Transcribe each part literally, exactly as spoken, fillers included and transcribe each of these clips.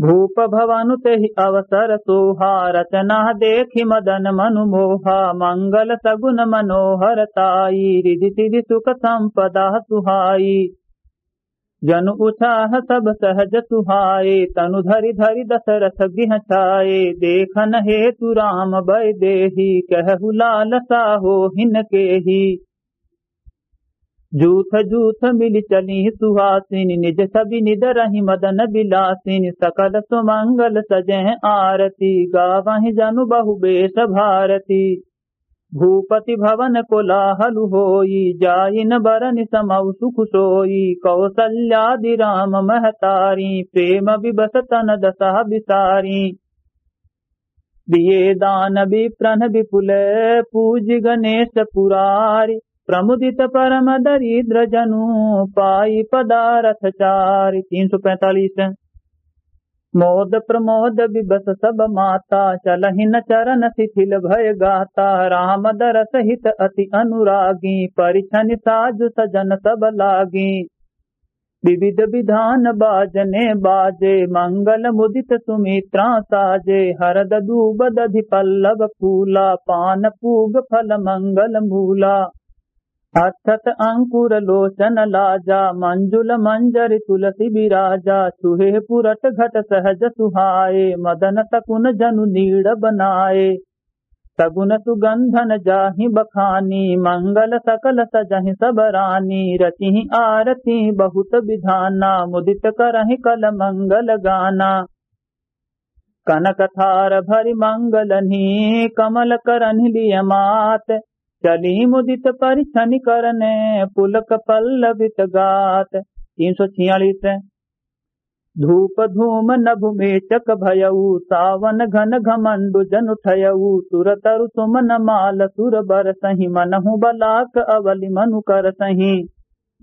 भूप भवनु तेहि अवसर सोहा, रचना देखि मदन मनु मोहा। मंगल सगुन मनोहर ताई, रिधि सिधि सुख संपदा सुहाई। जनु उछाह सब सहज सुहाए, तनु धरि धरि दशरथ गृह छाए। देखन हेतु राम बैदेही, कहहु लालसा होहिन केही। जूथ जूथ मिलि चली सुहासिन, निज छवि निदरहिं मदन बिलासिन। सकल सुमंगल सजहिं आरती, गावहिं जनु बहु बेस भारती। भूपति भवन कोलाहल होई, जाइन बरनि समउ सुख सोई। कौसल्यादि राम महतारी, प्रेम विवश तन दसा बिसारी। दिए दान विप्रन विपुल, पूजि गणेश पुरारी। प्रमुदित परम दरिद्र जनु, पाई पदारथ चारि। तीन सौ पैंतालीस। मोद प्रमोद विवश सब माता, चलहिं न चरण शिथिल भय गाता। राम दरस हित अति अनुरागी, परिछनि साजु सजन सब लागी। विविध विधान बाजने बाजे, मंगल मुदित सुमित्रां साजे। हरद दूब दधि पल्लव फूला, पान पूग फल मंगल मूला। अक्षत अंकुर लोचन लाजा, मंजुल मंजरी तुलसी बिराजा। छुहे पुरट घट सहज सुहाए, मदन सकुन जनु नीड़ बनाए। सगुन सुगंधन जाहि बखानी, मंगल सकल सजहिं सब रानी। रचिहिं आरती बहुत विधाना, मुदित करहिं कल मंगल गाना। कनक थार भरि मंगलन्हि, कमल करन्हि लिय मात। चली मुदित परिछनि करने, पुलक पल्लवित गात। तीन सौ छियालीस। धूप धूम नभु मेचक भयउ, सावन घन घमंडु जनु ठयउ। सुर तरु सुमन माल सुर बरसहिं, मनहु बलाक अवलि मनु करसहिं।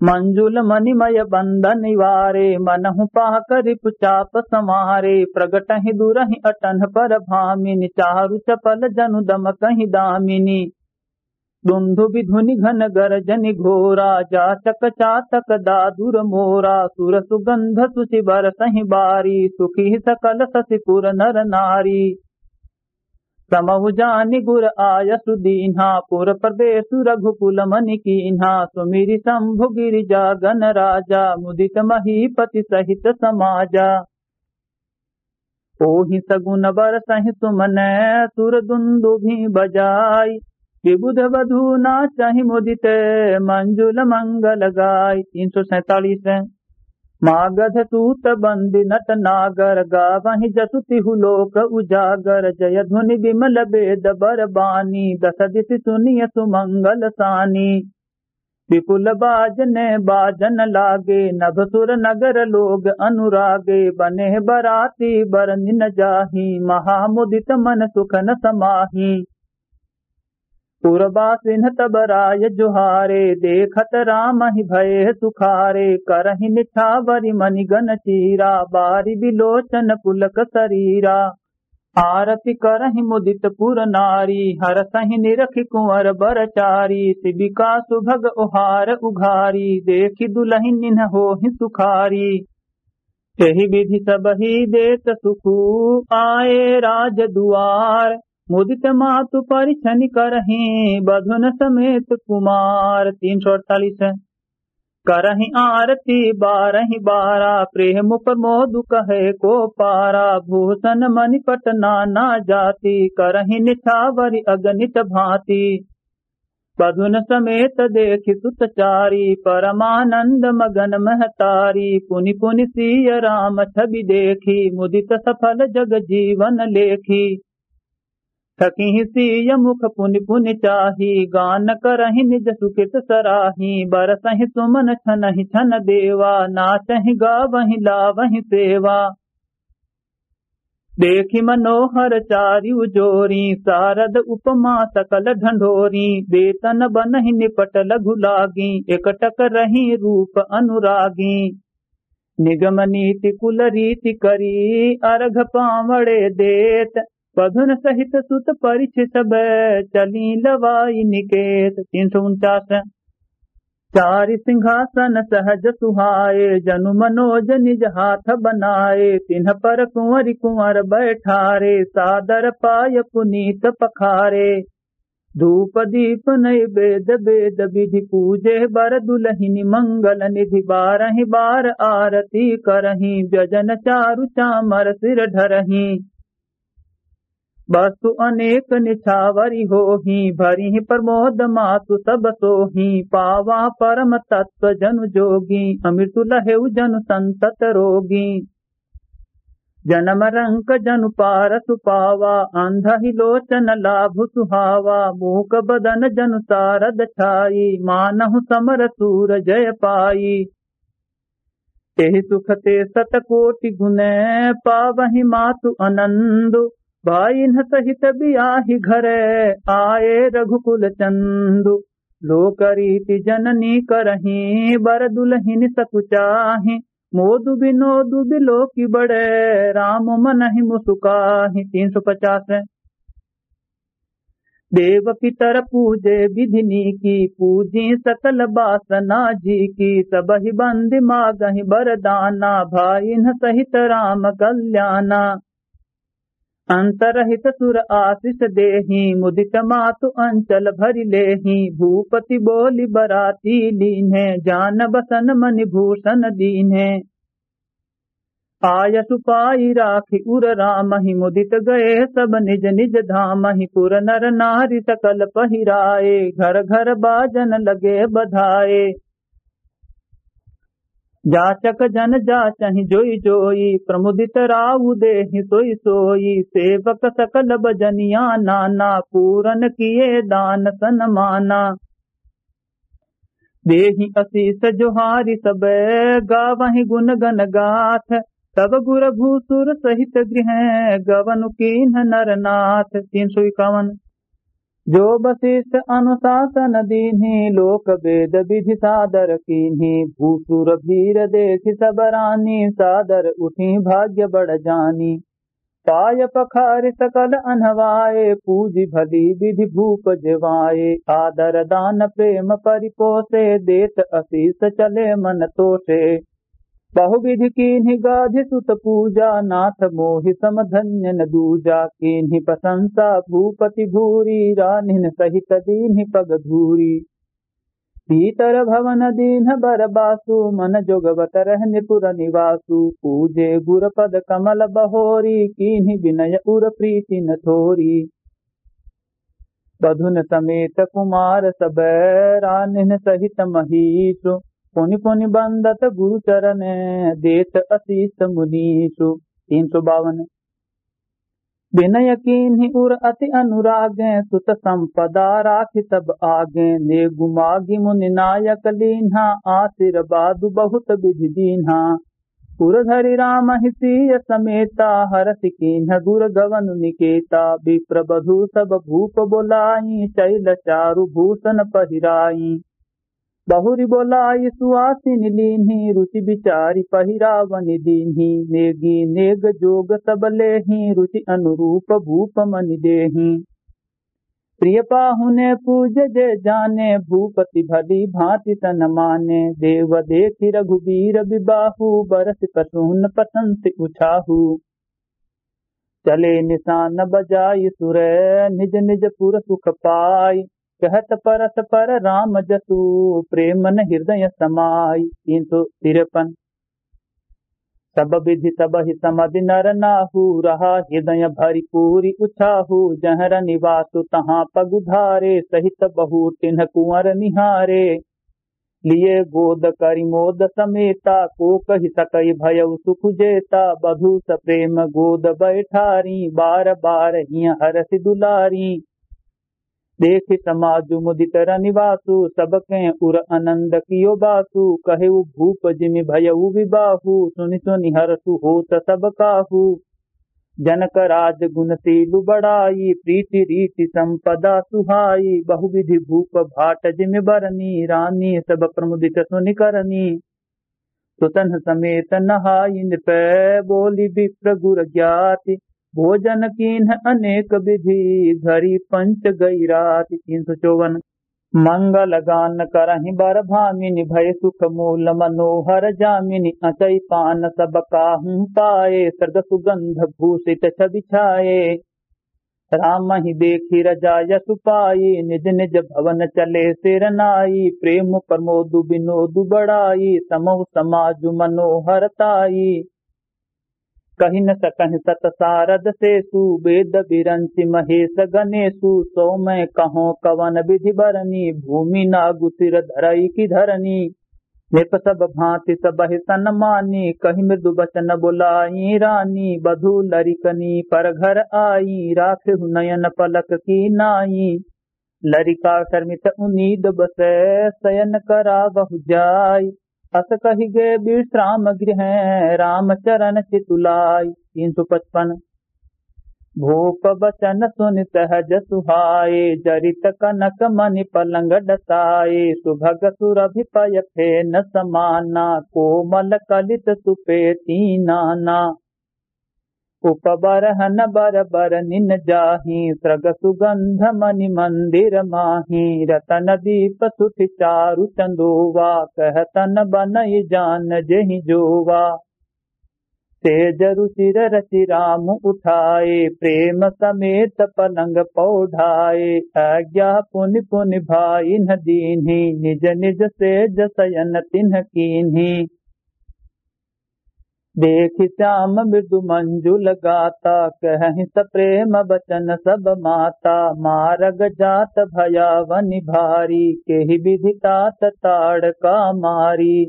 मंजुल मणिमय बंदन वारे, मनहु पाक रिपु चाप संवारे। प्रगटहिं दुरहिं अटन्ह पर भामिनि, चारु चपल जनु दमकहिं दामिनि। दुंदुभि धुनि घन गरजनि घोरा, जाचक चातक दादुर मोरा। सुर सुगंध सुचि बरसहिं बारी, सुखी सकल ससि पुर नर नारी। समहु जानि गुर आयसु दीन्हा, पुर प्रदेसु रघुकुल मनि कीन्हा। सुमिरि शंभु गिरिजा गन राजा, मुदित महीपति सहित समाजा। ओहि सगुन बरसहिं सुमन सुर दुंदुभि बजाई। विबुध वधू नाचहिं मुदित मंजुल मंगल गाई। तीन सौ सैंतालीस। मागध सूत बंदी नट नागर, गावहिं जसु तिहु लोक उजागर। जय धुनि विमल वेद बर बानी, दस दिसि सुनिय सुमंगल सानी। विपुल बाजने बाजन लागे, नभ सुर नगर लोग अनुरागे। बने बराती बर निन जाही, महामुदित मन सुखन समाही। पुरबासिन तब राय जुहारे, देखत रामहि भये सुखारे। करहिं निछावरि मणिगन चीरा, बारि बिलोचन पुलक सरीरा। आरती करहिं मुदित पुर नारी, हरसहिं निरखि कुंवर बर चारी। सिबिका सुभग ओहार उघारी, देखि दुलहिन निन्ह होहिं सुखारी। एहि बिधि सबहि देत सुखु आए राज दुआर। मुदित मातु परिछनि करहिं बधुन समेत कुमार। तीन सौ अड़तालीस। करहिं आरती बारहिं बारा, प्रेम प्रमोद कहे को पारा। भूषण मणिपट नाना जाति, करहिं निछावरि अगणित भाँति। बधुन समेत देखि सुत चारी, परमानंद मगन महतारी। पुनि पुनि सिय राम छवि देखि, मुदित सफल जग जीवन लेखि। थकिहीं सिय मुख पुनि पुनि चाही, गान करहिं निज सुकृत सराही। बरसहिं सुमन छनहिं छन देवा, नाचहिं गावहिं लावहिं सेवा। देखि मनोहर चारिउ जोरी, सारद उपमा सकल ढंढोरी। बेतन बनहिं निपट लघु लागी, एकटक रहीं रूप अनुरागी। निगम नीति कुल रीति करी, अरघ पावँड़े देत। बधुन सहित सुत परिछ सब, चलीं लवाई निकेत। तीन सौ उनचास। चारि सिंहासन सहज सुहाए, जनु मनोज निज हाथ बनाए। तिन्ह पर कुंवरि कुंवर बैठारे, सादर पाय पुनीत पखारे। धूप दीप नैवेद्य वेद विधि, पूजे बर दुलहिनि मंगल निधि। बारहि बार आरती करहिं, व्यजन चारु चामर सिर ढरहिं। वस्तु अनेक निछावरि होहिं, भरिहिं प्रमोद मातु सब सोहिं। पावा परम तत्व जनु जोगिं, अमृतु लहेउ जनु संतत रोगिं। जनम रंक जनु पारसु पावा, अंधहि लोचन लाभु सुहावा। मूक बदन जनु सारद छाई, मानहु समर सूर जय पाई। एहि सुख ते सतकोटि गुन, पावहिं मातु अनंदु। भाईन्ह सहित बियाहि घरे, आए रघुकुल चंदु। लोक रीति जननी करहिं, बर दुलहिनि सकुचाहिं। मोदु बिनोदु बिलोकि बड़े, राम मनहि मुसुकाहिं। तीन सौ पचास है। देव पितर पूजे विधि नीकी, पूजी सकल बासना जीकी। सबहि बंदी मागहिं बरदाना, भाईन्ह सहित राम कल्याना। अंतरहित सुर आसिस देहिं, मुदित मातु अंचल भरि लेहिं। भूपति बोलि बराती लीन्हे, जान बसन मनि भूषन दीन्हे। आयसु पाई राखि उर रामहि, मुदित गए सब निज निज धामहि। पुर नर नारि सकल पहिराए, घर घर बाजन लगे बधाए। जाचक जन जाचहिं जोई जोई, प्रमुदित राउ देहिं सोई सोई। सेवक सकल बजनिया नाना, पूरन किए दान सनमाना। देहिं असीस जोहारि सब, गावहिं गुन गन गाथ। तब गुर भूसुर सहित गृह, गवनु कीन्ह नरनाथ। तीन सौ इक्यावन। जो बसिष्ठ अनुसासन दीन्ही, लोक वेद विधि सादर कीन्ही। भूसुर भीर देखि सब रानी, सादर उठी भाग्य बड़ जानी। पाय पखारि सकल अन्हवाए, पूजि भली विधि भूप जेवाए। आदर दान प्रेम परिपोषे, देत असीस चले मन तोषे। बहुविधि कीन्ही गाधि सुत पूजा, नाथ मोहि सम धन्य न दूजा। कीन्ही प्रशंसा भूपति भूरी, रानिन सहित दीन्ही पग धूरी। भीतर भवन दीन्ह बर बासु, मन जोगवत रहनि पुर निवासु। पूजे गुर पद कमल बहोरी, कीन्ही विनय उर प्रीति न थोरी। बधुन समेत कुमार सब, रानिन सहित महीसु। पुनि पुनि बंदत गुरु चरण, देत असीस मुनीसु। तीन सौ बावन। विनय कीन्ही उर अति अनुरागे, सुत संपदा राखि सब आगे। नेगु मागि मुनि नायक लीन्हा, आशीर्वाद बहुत विधि दीन्हा। उर धरि रामहि सीय समेता, हरषि कीन्ह गुर गवनु निकेता। विप्र बधू सब भूप बोलाइ, चैल चारु भूषण पहिराइ। बहुरि बोलाइ सुआसिनि लीन्ही, रुचि बिचारि पहिरावनि दीन्ही। नेगि नेग जोग सब लेही, रुचि अनुरूप भूप मनि देही। प्रिय पाहुने पूज जे जाने, भूपति भली भाँति तन माने। देव देखि रघुबीर बिबाहु, बरसि प्रसून प्रशंसि उछाहु। चले निसान बजाइ सुर, निज निज पुर सुख पाइ। कहत परस्पर राम जसु, प्रेम न हृदय समाइ। तीन सौ तिरपन। सब विधि सबहि समधि नर नाहु, रहा हृदय भरि पूरि उछाहु। जहर निवासु तहाँ पगु धारे, सहित बहु तिन्ह कुँवर निहारे। लिए गोद करि मोद समेता, को कहि सकइ भयउ सुख जेता। बधु सप्रेम गोद बैठारी, बार बार हिय हरषि दुलारी। देखि समाजु मुदित रनिवासु, सबके उर अनंद कियो बासु। कहेउ भूप जिमि भयउ बिबाहु, सुनि सुनि हरषु होत सब काहु। जनक राज गुण सीलु बड़ाई, प्रीति रीति संपदा सुहाई। बहुविधि भूप भाट जिमि बरनी, रानी सब प्रमुदित सुनि करनी। सुतन समेत नहाई नृप, बोलि विप्र गुर ज्ञाति। भोजन कीन्ह अनेक विधि, धरि पंच गई राति। तीन सौ चौवन। मंगल गान करहिं बर भामिनि, भय सुख मूल मनोहर जामिनि। अचइ पान सब काहू पाए, स्रग सुगंध भूषित छवि छाए। रामहि देखि रजा यसु पाई, निज निज भवन चले सिर नाई। प्रेम प्रमोद बिनोद बड़ाई, समहु समाज मनोहर ताई। कहि न सकहिं सत सारद सेसु, वेद बिरंचि महेश गनेसु। सो मैं कहौं कवन विधि बरनी, भूमि नागु सिर धरई की धरनी। नृप सब भांति सबहि सन्मानी, कहि मृदु बचन बोलाइ रानी। बधू लरिकनी पर घर आई, राखेहु नयन पलक की नाई। लरिका शर्मित उनीद बसै, शयन करावहु जाय। अस कहि गए विश्राम गृह, राम चरण चितु लाय। तीन सौ पचपन। भूप बचन सुनि सहज सुहाए, जरित कनक मणि पलंग डसाए। सुभग सुरभि पय फेन समाना, कोमल कलित सुपेटी नाना। उपबरहन बर बरनिन जाहि, स्रग सुगंध मणि मंदिर माहि। रतन दीप सुठि चारु चंदोवा, कह तन बनइ जान जेहि जोवा। सेज रुचिर रचि राम उठाए, प्रेम समेत पलंग पौढ़ाए। आज्ञा पुनि पुनि भाइन दीन्हि, निज निज सेज शयन तिन्ह कीन्हि। देखि श्याम मृदु मंजुल गाता, कहहिं सप्रेम बचन सब माता। मारग जात भयावनि भारी, केहि विधि तात ताड़का मारी।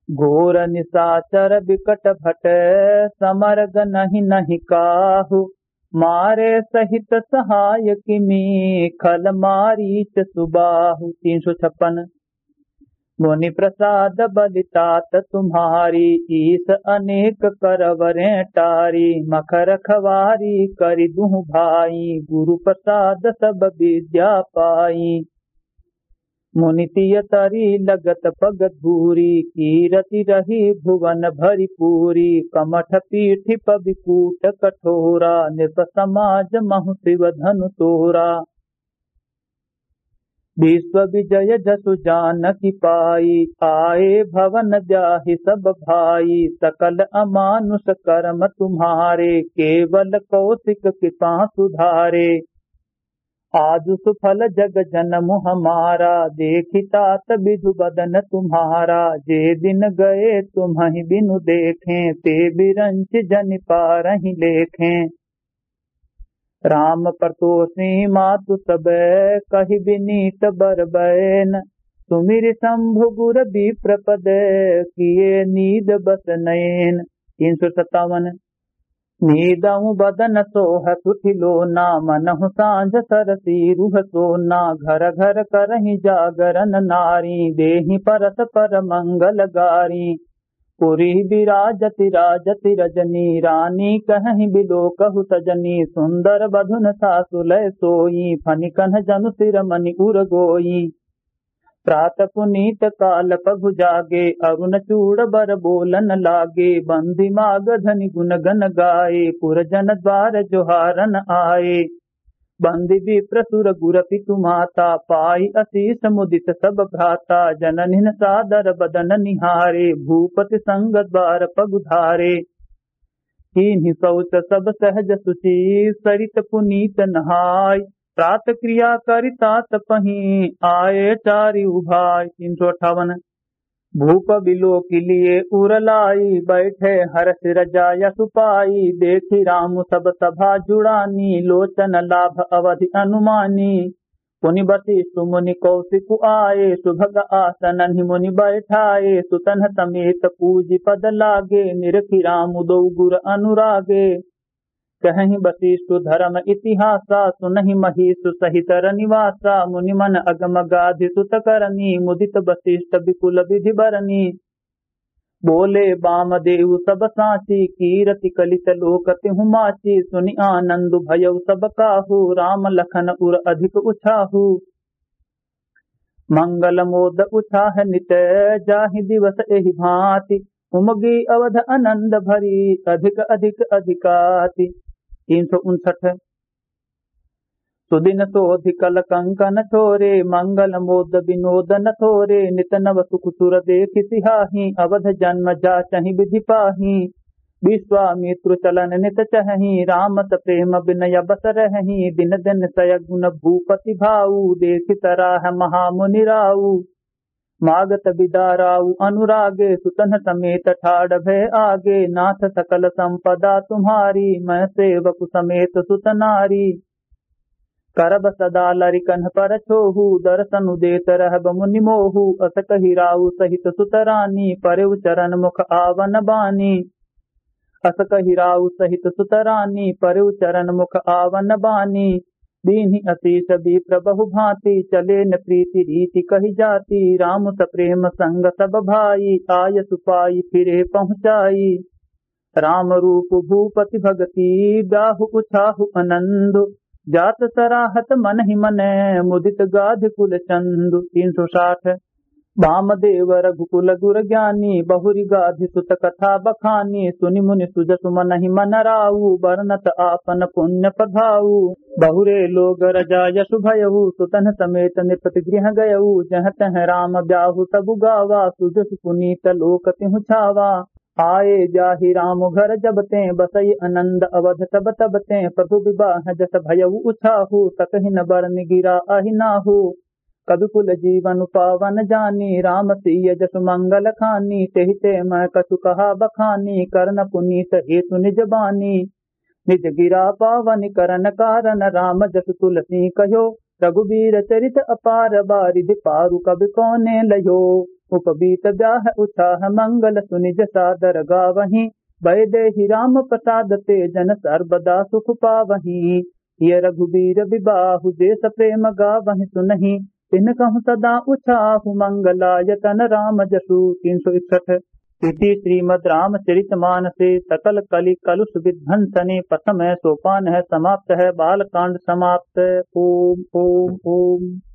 घोर निशाचर बिकट भट, समरग नहीं नहीं काहु। मारे सहित सहाय किमी, खल मारीच सुबाहु। तीन सौ छप्पन। मुनि प्रसाद बलि तात तुम्हारी, ईस अनेक करवरें टारी। मख रखवारी करि दुहु भाई, गुरु प्रसाद सब विद्या पाई। मुनि तिय तरी लगत पग धूरी, कीरति रही भुवन भरि पूरी। कमठ पीठि पबि कूट कठोरा, नृप समाज महु शिव धनु तोरा। विश्व विजय जसु जानकि पाई, आए भवन ब्याहि सब भाई। सकल अमानुष कर्म तुम्हारे, केवल कौशिक कृपा सुधारे। आजु सुफल जग जनमु हमारा, देखि तात बिधु बदन तुम्हारा। जे दिन गए तुम्हहि बिनु देखें, ते बिरंचि जनि पारहिं लेखें। राम परतोषी मातु सब, कहि बिनीत बर बैन। सुमिरि शंभु गुर विप्र पद, किए नीद बस नैन। तीन सौ सत्तावन। नीदउ बदन सोह सुठि लोना, मनहु साँझ सरसी रुह सोना। घर घर करहिं जागरन नारी, देहिं परस्पर मंगल गारी। पुरी बिराजति राजति रजनी, रानी कहहिं बिलोकहु सजनी। सुंदर बधुन सासु लय सोई, फनिकन्ह जनु सिर मनि उर गोई। प्रात पुनीत काल पगु जागे, अरुन चूड़ बर बोलन लागे। बंदी मागधनि गुन गन गाए, पुर जन द्वार जोहारन आए। बंदी विप्र सुर गुर पितु माता, पाई असीस मुदित सब भ्राता। जननिन सादर बदन निहारे, भूपति संग द्वार पगु धारे। कीन्हि सौच सब सहज सुचि, सरित पुनीत नहाय। प्रात क्रिया करि तात पहीं, आए चारि उभाय। तीन सौ अट्ठावन। भूप बिलोकि लिए उर लाइ, बैठे हरषि रजा यसु पाइ। देखि राम सब सभा जुड़ानी, लोचन लाभ अवधि अनुमानी। पुनि बसिष्ठु मुनि कौशिकु आए, सुभग आसनन्हि मुनि बैठाए। सुतन्ह समेत पूजि पद लागे, निरखि राम दौ गुर अनुरागे। कहहिं बसिष्ठु धरम इतिहासा, सुनहिं महेसु सहित रनिवासा। मुनि मन अगम गाधि सुत करनी, मुदित बसिष्ठ बिपुल बिधि बरनी। बोले बामदेव सब साँची, कीरति कलित लोक तिहु माची। सुनि आनंदु भयउ सब काहू, राम लखन उर अधिक उछाहू। मंगल मोद उछाह नित जाहि दिवस एहि भाँति, उमगी अवध अनंद भरी अधिक अधिक अधिकाति। तीन सौ उनसठ। सुदिन सोधि कल कंकन छोरे, मंगल मोद विनोद न थोरे। नित नव सुख सुर देखि सिहाही, अवध जन्म जाचहि विधि पाही। विश्वामित्र चलन नित चहही, राम स प्रेम बिनय बस रहही। दिन दिन सय गुण भूपति भाऊ, देखि सराह महामुनि राऊ। मागत बिदा राऊ अनुरागे, सुतन समेत ठाढ़ भय आगे। नाथ सकल संपदा तुम्हारी, मैं सेवक समेत सुत नारी। करब सदा लरिकन पर छोहू, दरसनु देत रहब मुनि मोहू। अस कहि राऊ सहित सुत रानी, परेउ चरण मुख आवन बानी। अस कहि राऊ सहित सुत रानी, परेउ चरण मुख आवन बानी। दीन्हि असीस विप्र बहु भाँति, चले न प्रीति रीति कहि जाति। राम स प्रेम संग सब भाई, आयसु पाई फिरे पहुँचाई। राम रूप भूपति भगति, ब्याहु उछाहु अनंद। जात सराहत मनहि मन, मुदित गाधि कुल चंद। तीन सौ साठ। वामदेव रघुकुल गुर ज्ञानी, बहुरि गाधि सुत कथा बखानी। सुनि मुनि सुजसु मनहि मन राऊ, बरनत आपन पुण्य पधाऊ। बहुरे लोग रजा यशु भयऊ, सुतन समेत नृपति गृह गयऊ। जह तह राम ब्याहु तबु गावा, सुजसु पुनीत लोक तिहु छावा। आए जाहि राम घर जब तें, बसई अनंद अवध तब तब तें। प्रभु विवाह जस भयऊ उछाहु, सकहि न बरनि गिरा अहि नाहु। कवि कुल जीवन पावन जानी, राम सिय जसु मंगल खानी। तेहि ते मैं कछु कहा बखानी, करन पुनीत हेतु निज बानी। निज गिरा पावनि करन कारण, राम जसु तुलसी कह्यो। रघुबीर चरित अपार, बारिधि पारु कवि कौने लह्यो। उपबीत ब्याह उछाह मंगल, सुनि जस सादर गावहीं। वैदेही राम प्रसाद ते, जन सर्वदा सुख पावहीं। ये रघुबीर विबाहु, जे स प्रेम गावहीं सुनहीं। तिनकहु सदा उछाहु, मंगलायतन राम जसु। तीन सौ इकसठ। इति श्रीमद् रामचरित मानसे सकल कलि कलुष विध्वंसने प्रथम सोपान है समाप्त है। बालकांड समाप्त। ओम, ओम, ओम।